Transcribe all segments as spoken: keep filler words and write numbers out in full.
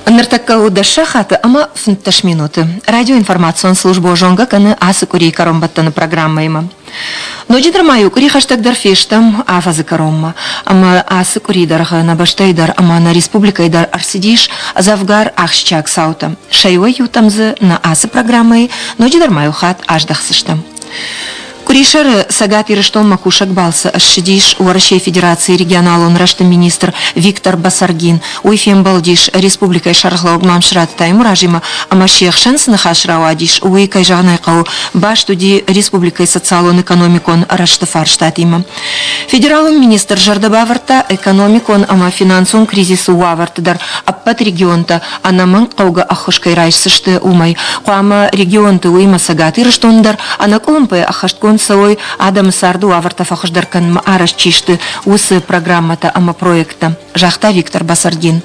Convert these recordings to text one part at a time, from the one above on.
Ныртӕккӕ у дӕс сахаты ӕмӕ фынддӕс минуты. Радиоинформацион службӕ зонгӕ кӕны ацы къуырийы кӕронбӕттӕны программӕимӕ. Ноджыдӕр ма иу къуыри хӕстӕгдӕр фестӕм афӕдзы кӕронмӕ. Ӕмӕ ацы къуыри дӕргъы нӕ бӕстӕйы дӕр ӕмӕ нӕ республикӕйы дӕр ӕрцыдис дзӕвгар ахсджиаг цаутӕ. Сӕ иуӕй-иутӕм дзы нӕ ацы программӕйы ноджыдӕр ма иу хатт аздӕхдзыстӕм. Къуырисӕры Цӕгат Ирыстонмӕ кусӕг балцы ссыдис Уӕрӕсейы Федерацийы регионалон рӕзты министр Виктор Басаргин. Уый фембӕлдис республикӕйы сӕргълӕууӕг Мамсыраты Таймуразимӕ ӕмӕ се хсӕн цы ныхас рауадис, уый, кӕй зӕгъын ӕй хъӕуы, баст уыди республикӕйы социалон-экономикон рӕзты фарстатимӕ. Федералон министр зӕрдӕ бавӕрдта, экономикон ӕмӕ финансон кризисы уавӕрты дӕр ӕппӕт регионтӕ ӕнӕмӕнг хъӕугӕ ӕххуыс кӕй райсдзысты, уымӕй. Хъуамӕ регионты, уыимӕ Цӕгат Ирыстоны дӕр, ӕнӕкъуылымпыйӕ ӕххӕстгонд цӕуой, адӕмы царды уавӕртӕ фӕхуыздӕр кӕнынмӕ арӕзт чи сты, уыцы программӕтӕ ӕмӕ проекттӕ, загъта Виктор Басаргин.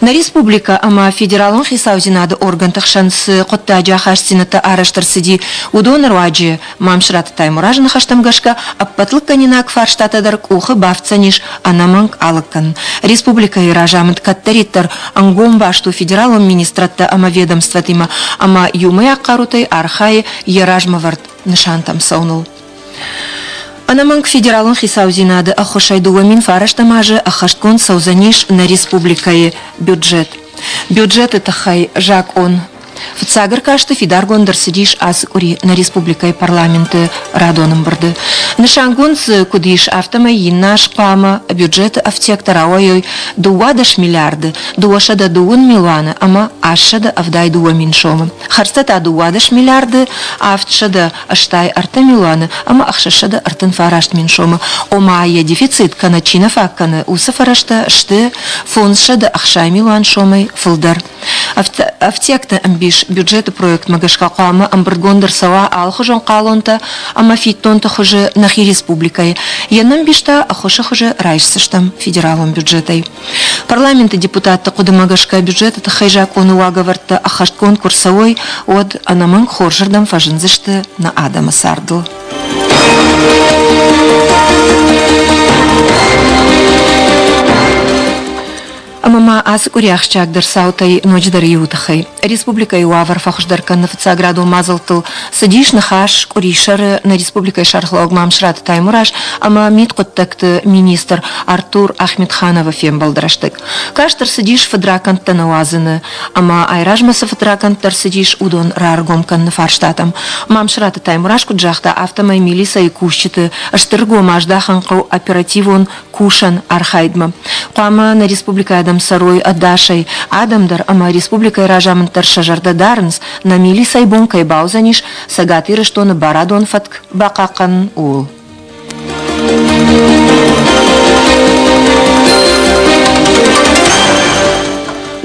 Нӕ республикӕ ӕмӕ федералон хицаудзинады органты хсӕн цы хъуыддаджы ахастдзинӕдтӕ арӕзт ӕрцыди, уыдоны руаджы, Мамсыраты Таймуразы ныхӕстӕм гӕсгӕ, ӕппӕт лыггӕнинаг фарстатӕ дӕр къухы бафтдзӕнис ӕнӕмӕнг алыг кӕнын. Республикӕйы разамынд кӕддӕриддӕр ӕнгом баст у федералон министрадтӕ ӕмӕ ведомствотимӕ ӕмӕ иумӕйаг хъарутӕй архайы йӕ размӕвӕрд нысантӕм цӕуыныл. Ӕнӕмӕнг федералон хицаудзинады ӕххуысӕй дыууӕ мин фарӕстӕм азы ӕххӕстгонд цӕудзӕнис нӕ республикӕйы бюджет. Бюджеты тыххӕй закъон фыццаг ӕркасты фидаргонд ӕрцыдис ацы къуыри нӕ республикӕйы парламенты радон ӕмбырды. Нысангонд дзы куыд ис, афтӕмӕй иннӕ аз хъуамӕ бюджеты ӕфтиӕгтӕ рауайой дыууадӕс миллиарды дыууӕсӕдӕ дыууын милуаны ӕмӕ астсӕдӕ ӕвдай дыууӕ мин сомы. Хӕрдзтӕ та дыууадӕс миллиарды авдсӕдӕ ӕстай ӕртӕ милуаны ӕмӕ ӕхсӕзсӕдӕ ӕртын фараст мин сомы. Ома йӕ дефицит кӕнӕ чи нӕ фаг кӕны, уыцы фӕрӕзтӕ сты фондзсӕдӕ ӕхсай милуан сомӕй фылдӕр. Ӕфтиӕгты ӕмбис бюджеты проектмӕ гӕсгӕ хъуамӕ ӕмбырдгонд ӕрцӕуа алыхуызон хъалонтӕ ӕмӕ фиддонты хуызы нӕхи республикӕйы. Йе нӕмбис та ӕххуысы хуызы райсдзыстӕм федералон бюджетӕй. Парламенты депутатты хъуыдымӕ гӕсгӕ бюджеты тыххӕй закъоны уагӕвӕрдтӕ ӕххӕстгонд куы рцӕуой, уӕд ӕнӕмӕнг хорзырдӕм фӕзындзысты нӕ адӕмы цардыл. Ӕмӕ ма ацы къуыри ахсджиагдӕр цаутӕй ноджыдӕр иуы тыххӕй. Республикӕйы уавӕр фӕхуыздӕр кӕныны фыццаградон мадзӕлттыл цыдис ныхас къуырисӕры нӕ республикӕйы сӕргълӕууӕг Мамсыраты Таймураз ӕмӕ мидхъуыддӕгты министр Артур Ахметхановы фембӕлды рӕстӕг. Каст ӕрцыдис фыдракӕндтӕ нӕ уадзыны ӕмӕ айразмӕ цы фыдракӕндтӕ ӕрцыдис, уыдон раргом кӕныны фарстатӕм. Мамсыраты Таймураз куыд загъта, афтӕмӕй милицӕйы кусджыты стыр ӕргом аздахын хъӕуы оперативон кусӕн архайдмӕ. Хъуамӕ нӕ республикӕйы адӕм цӕрой ӕдасӕй. Адӕм дӕр ӕмӕ республикӕйы разамынд дӕр сӕ зӕрдӕ дарынц, нӕ милицӕйы бон кӕй бауыдзӕнис Цӕгат Ирыстоны барадон фӕтк бахъахъхъӕнын, ууыл.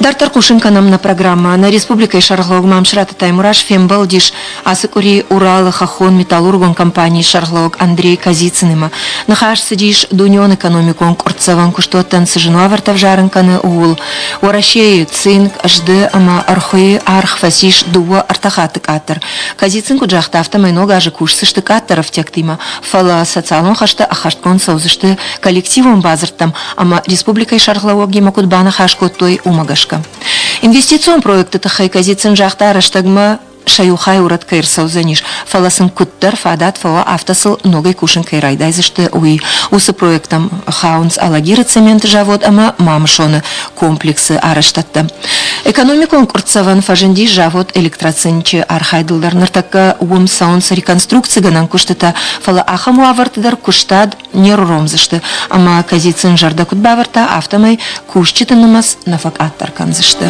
Дарддӕр хъусын кӕнӕм нӕ программӕ. Нӕ республикӕйы сӕргълӕууӕг Мамсыраты Таймураз фембӕлдис ацы къуыри Уралы хӕххон металлургон компанийы сӕргълӕууӕг Андрей Козицынимӕ. Ныхас цыдис дунеон экономикон къуырцдзӕвӕн куыстуӕттӕн цы зын уавӕртӕ ӕвзарын кӕны, ууыл. Уӕрӕсейы цинк, зды ӕмӕ ӕрхуыйы аргъ фӕцис дыууӕ ӕртӕ хатты къаддӕр. Козицын куыд загъта, афтӕмӕй ног азы кусдзысты къаддӕр ӕфтиӕгтимӕ, фӕлӕ социалон хӕстӕ ӕххӕстгонд цӕудзысты коллективон бадзырдтӕм ӕмӕ республикӕйы сӕргълӕууӕгимӕ куыд баныхас кодтой, уымӕ гӕсгӕ. Инвестицион проекты тыххӕй Козицын загъта, рӕстӕгмӕ сӕ иу хай урӕд кӕй ӕрцӕудзӕнис, фӕлӕ сын куыддӕр фадат фӕуа, афтӕ сыл ногӕй кусын кӕй райдайдзысты, уый. Уыцы проекттӕм хауынц Алагиры цементы завод ӕмӕ Мамысоны комплексы арӕзтӕдтӕ. Экономикон къуырцдзӕвӕн фӕзындис завод Электроцинчы архайдыл дӕр. Ныртӕккӕ уым цӕуынц реконструкцигӕнӕн куыстытӕ, фӕлӕ ахӕм уавӕрты дӕр куыстад не руромдзысты. Ӕмӕ Козицын зӕрдӕ куыд бавӕрдта, афтӕмӕй кусджыты нымӕц нӕ фӕкъаддӕр кӕндзысты.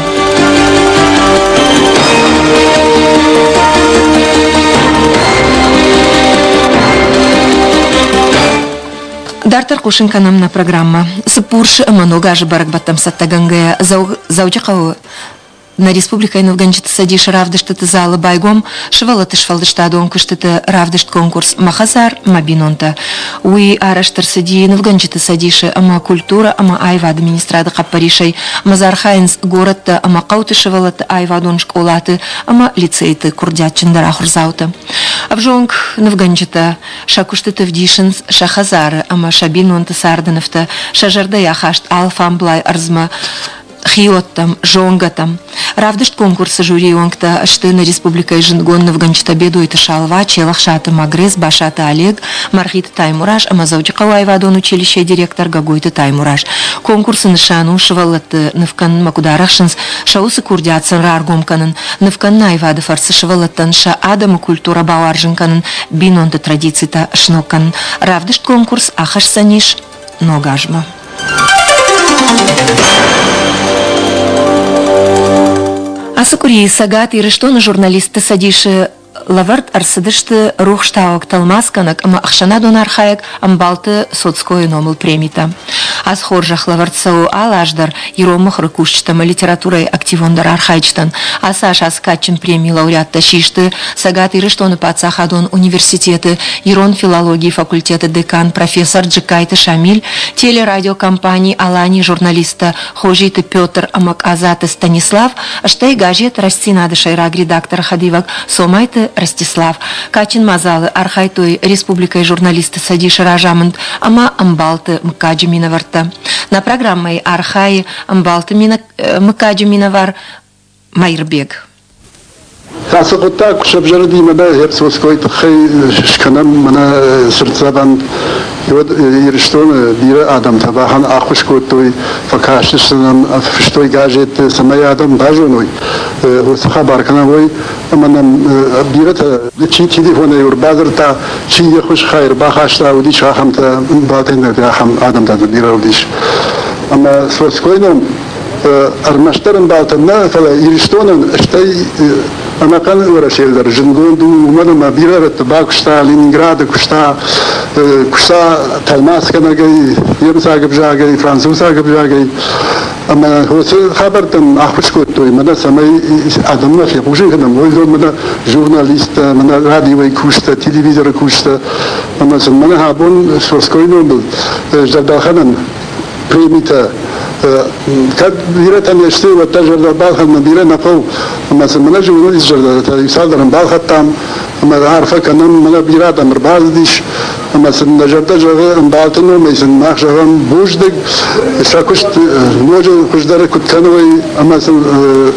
Дарддӕр хъусын кӕнӕм нӕ программӕ. Цыппурсы ӕмӕ Ног азы бӕрӕгбӕттӕм цӕттӕгӕнгӕйӕ Дзӕуджыхъӕуы нӕ республикӕйы нывгӕнджыты цӕдисы равдыстыты залы байгом сывӕллӕтты сфӕлдыстадон куыстыты равдыст-конкурс «Мӕ хӕдзар, мӕ бинонтӕ». Уый арӕзт ӕрцыди нывгӕнджыты цӕдисы ӕмӕ культурӕ ӕмӕ аивады министрады хъӕппӕрисӕй. Ӕмӕ дзы архайынц горӕттӕ ӕмӕ хъӕуты сывӕллӕтты аивадон скъолаты ӕмӕ лицейты курдиатджындӕр ахуырдзаутӕ. Ӕвзонг нывгӕнджытӕ сӕ куыстыты вдисынц сӕ хӕдзары ӕмӕ сӕ бинонты царды нывтӕ, сӕ зӕрдӕйы ахаст алфамблай ӕрдзмӕ. Хиуӕттӕм, зонгӕтӕм. Равдыст конкурсы жюрийы уӕнгтӕ сты нӕ республикӕйы зындгонд нывгӕнджытӕ Бедойты Шалва, Челӕхсаты Магрез, Басаты Олег, Мӕргъиты Таймураз ӕмӕ Дзӕуджыхъӕуы аивадон училищейы директор Гогойты Таймураз. Конкурсы нысан у сывӕллӕтты ныв кӕнынмӕ куыд арӕхсынц, сӕ уыцы курдиат сын раргом кӕнын, ныв кӕныны аивады фӕрцы сывӕллӕттӕн сӕ адӕмы культурӕ бауарзын кӕнын, бинонты традицитӕ сног кӕнын. Равдыст конкурс ахӕсдзӕнис ног азмӕ. Ацы къуырийы Цӕгат Ирыстоны журналистты цӕдисы лӕвӕрд ӕрцыдысты рухстауӕг, тӕлмацгӕнӕг ӕмӕ ӕхсӕнадон архайӕг Ӕмбалты Цоцкойы номыл премитӕ. Ацы хорзӕх лӕвӕрд цӕуы алы аз дӕр ирон мыхуыры кусджытӕ ӕмӕ литературӕйы активондӕр архайджытӕн. Ацы аз ацы кадджын премийы лауреаттӕ систы Цӕгат Ирыстоны паддзахадон университеты ирон филологийы факультеты декан профессор Джыккайты Шамиль, телерадиокомпани «Алани» журналисттӕ Хозиты Петр ӕмӕ Къадзаты Станислав, стӕй газет «Рӕстдзинад-ы» сӕйраг редакторы хӕдивӕг Цомайты Ростислав. Кадджын мадзалы архайдтой республикӕйы журналистты цӕдисы разамынд ӕмӕ ӕмбалты мыггаджы минӕвӕрттӕ. Нӕ программӕйы архайы ӕмбалты мыггаджы минӕвар Маирбег. Ацы хъуыддаг куы сӕвзӕрыди, мӕнӕ Цоцкойы тыххӕй скӕнӕм мӕнӕ цыртдзӕвӕн. Уӕд Ирыстоны бирӕ адӕмтӕ бахӕн ӕххуыс кодтой, фӕкастысты нӕм, фыстой газетты, цӕмӕй адӕм базоной, уыцы хабар кӕнӕ уой, ӕмӕ нӕм бирӕтӕ чи телефонӕй ӕрбадзырдта, чи йе ххуыс хай ӕрбахаста, уыдис ахӕмтӕ, балтайнӕгтӕ ахӕм адӕмтӕ дзы бирӕ уыдис. Ӕмӕ Цоцкойы ном ӕрмӕстдӕр ӕмбалтӕн нӕ, фӕлӕ Ирыстонӕн, стӕй ӕнӕхъӕн Уӕрӕсейы дӕр зындгонд у, уымӕн ӕмӕ бирӕ рӕтты бакуыста, Ленинграды куыста, куыста тӕлмацгӕнӕгӕй, немыцаг ӕвзагӕй, французаг ӕвзагӕй. Ӕмӕ уыцы хабӕрттӕн ӕххуыс кодтой, мӕнӕ цӕмӕй адӕммӕ фехъусын кӕнӕм, уый мӕнӕ журналисттӕ, мӕнӕ радиойы кусджытӕ, телевизоры кусджытӕ. Ӕмӕ сын мӕнӕ абон Цоцкойы номыл зӕрдӕлхӕнӕн премитӕ кӕд бирӕтӕ не сты, уӕддӕр зӕрдӕ балхӕнын бирӕ нӕ хъӕуы. Ӕмӕ сын мӕнӕ журналист зӕрдӕтӕ цалдӕрӕн балхӕдтам, ӕмӕ арфӕ кӕнӕм, мӕнӕ бирӕ адӕм ӕрбацыдис, ӕмӕ сын нӕ зӕрдӕ зӕгъы ӕмбалты номӕй сын мах зӕгъӕм бузныг, сӕ куыст ноджы хуыздӕр куыд кӕной, ӕмӕ сын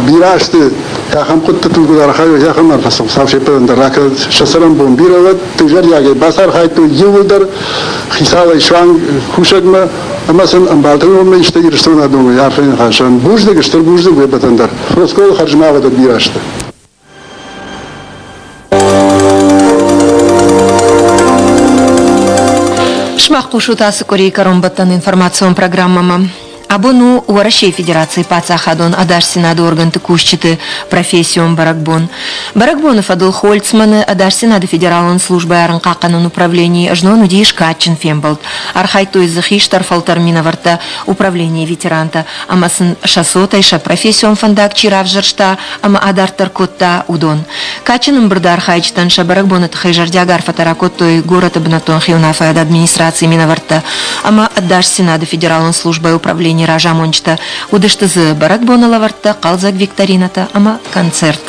бирӕ азты ахӕм хъуыддӕгтыл куыд архайой, ахӕм арфӕ сын Хуыцау се ппӕтӕн дӕр ракӕнӕд. Сӕ цӕрӕнбон бирӕ уӕд, тынг зӕрдиагӕй бацархайдтой иууылдӕр хицауӕй суанг кусӕгмӕ, ӕмӕ сын ӕмбалты номӕй исты Ирыстоны адӕмӕй арфӕйы ныхасӕн бузныг, стыр бузныг уе ппӕтӕн дӕр. Цоцкойы хӕрзмӕ бирӕ сты. Сымах хъусут ацы къуырийы кӕронбӕттӕн информацион программӕмӕ. Абон у Уӕрӕсейы Федерацийы паддзахадон ӕдасдзинады органты кусджыты профессион бӕрӕгбон. Бӕрӕгбоны фӕдыл Хольцманы ӕдасдзинады федералон службӕйы арӕнхъахъхъӕнӕн управленийы знон уыдис кадджын фембӕлд. Архайдтой дзы хистӕр фӕлтӕр минӕвӕрттӕ, управленийы ветерантӕ ӕмӕ сын сӕ цотӕй сӕ профессион фӕндаг чи равзӕрста ӕмӕ адарддӕр кодта, уыдон. Кадджын ӕмбырды архайджытӕн сӕ бӕрӕгбоны тыххӕй зӕрдиаг арфӕтӕ ракодтой горӕты бынӕттон хиуынаффӕйады администрацийы минӕвӕрттӕ ӕмӕ ӕдасдзинады федералон службӕйы управленийы разамонджытӕ. Уыдысты дзы бӕрӕгбоны лӕвӕрттӕ, хъӕлдзӕг викторинӕтӕ ӕмӕ концерт.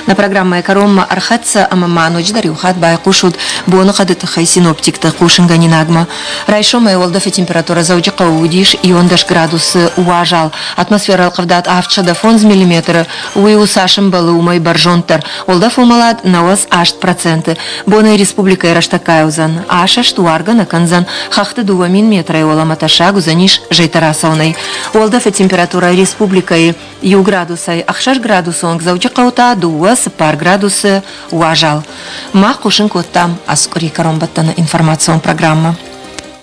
Нӕ программӕйы кӕронмӕ ӕрхӕццӕ ӕмӕ ма ноджыдӕр иу хатт байхъусут боныхъӕды тыххӕй синоптикты хъусынгӕнинагмӕ. Райсомӕй уӕлдӕфы температурӕ Дзӕуджыхъӕуы уыдис иуӕндӕс градусы уазал. Атмосферӕ ӕлхъывдад авдсӕдӕ фондз миллиметры, уый у цас ӕмбӕлы, уымӕй бӕрзонддӕр. Уӕлдӕф уымӕлад нӕуӕдз аст проценты. Бонӕй республикӕйы рӕстӕггай уыдзӕн. Асӕст уаргӕ нӕ кӕндзӕн. Хӕхты дыууӕ мин метрӕй уӕлӕмӕ тӕссаг уыдзӕнис зӕйтӕ рацӕуынӕй. Уӕлдӕфы температурӕ республикӕйы иу градусӕй ӕхсӕз градусы онг, Дзӕуджыхъӕуы та дыууӕ цыппар градусы уазал. Мах хъусын кодтам ацы къуырийы кӕронбӕттӕны информацион программӕ.